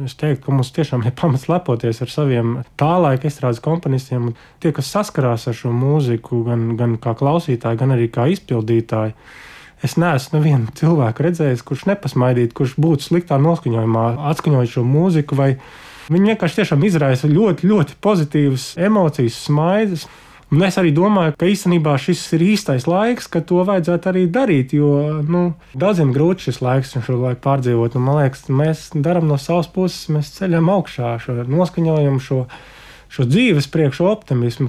Es teiktu, ka mums tiešām ir pamats lepoties ar saviem tā laika estrādes komponistiem. Tie, kas saskarās ar šo mūziku, gan kā klausītāji, gan arī kā izpildītāji. Es neesmu nevienu cilvēku redzējis, kurš nepasmaidītu, kurš būtu sliktā noskaņojumā, atskaņojot šo mūziku. Viņi vienkārši tiešām izraisa ļoti, ļoti pozitīvas emocijas, smaidas. Un es arī domāju, ka īstenībā šis ir īstais laiks, kad to vajadzētu arī darīt, jo daudziem grūti šis laiks un šo laiku pārdzīvot. Man liekas, mēs darām no savas puses, mēs ceļam augšā šo noskaņojumu, šo dzīves priekšu optimismu.